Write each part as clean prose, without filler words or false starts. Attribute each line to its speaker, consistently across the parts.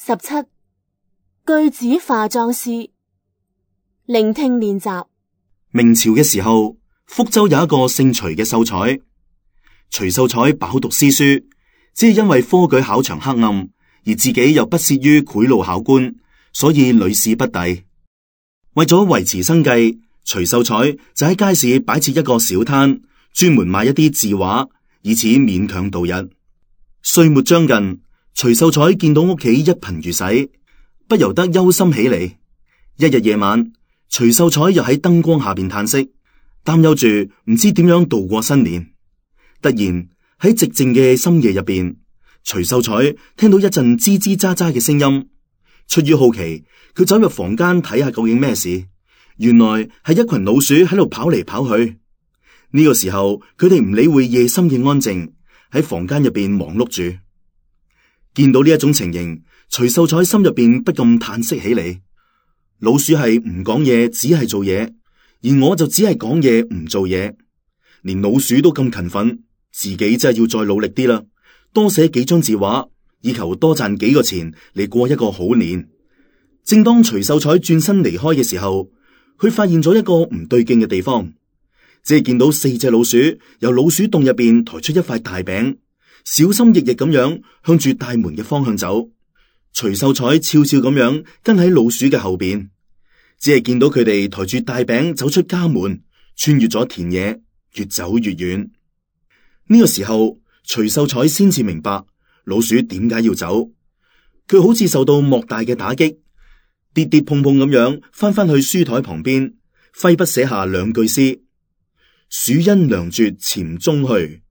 Speaker 1: 17句子化妝師聆聽練習。
Speaker 2: 明朝嘅時候，福州有一個姓徐嘅秀才。徐秀才飽讀詩書，只係因為科舉考場黑暗，而自己又不屑於賄賂考官，所以屢試不第。為咗維持生計，徐秀才就喺街市擺設一個小攤，專門賣一啲字畫，以此勉強度日。歲末將近，徐秀才見到屋企一貧如洗，不由得憂心起嚟。一日夜晚，徐秀才又喺燈光下邊嘆息，擔憂住唔知點樣度過新年。突然喺寂靜嘅深夜入邊，徐秀才聽到一陣吱吱喳喳嘅聲音。出於好奇，佢走入房間睇下究竟咩事。原來係一群老鼠喺度跑嚟跑去。呢個時候，佢哋唔理會夜深嘅安靜，喺房間入邊忙碌住。見到呢一種情形，徐秀才心入邊不禁嘆息起嚟。老鼠係唔講嘢，只係做嘢，而我就只係講嘢唔做嘢。連老鼠都咁勤奮，自己真係要再努力啲啦，多寫幾張字畫，以求多賺幾個錢嚟過一個好年。正當徐秀才轉身離開嘅時候，佢發現咗一個唔對勁嘅地方，只係見到4隻老鼠由老鼠洞入邊抬出一塊大餅，小心翼翼咁樣向住大門嘅方向走。徐秀才悄悄咁樣跟喺老鼠嘅後邊，只係見到佢哋抬住大餅走出家門，穿越咗田野，越走越遠。呢個時候，徐秀才先至明白老鼠點解要走。佢好似受到莫大嘅打擊，跌跌碰碰咁樣翻返去書台旁邊，揮筆寫下2句詩：鼠因糧絕潛中去，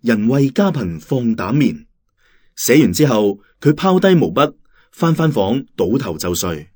Speaker 2: 人為家貧放膽眠。寫完之後，佢拋低毛筆，翻房倒頭就睡。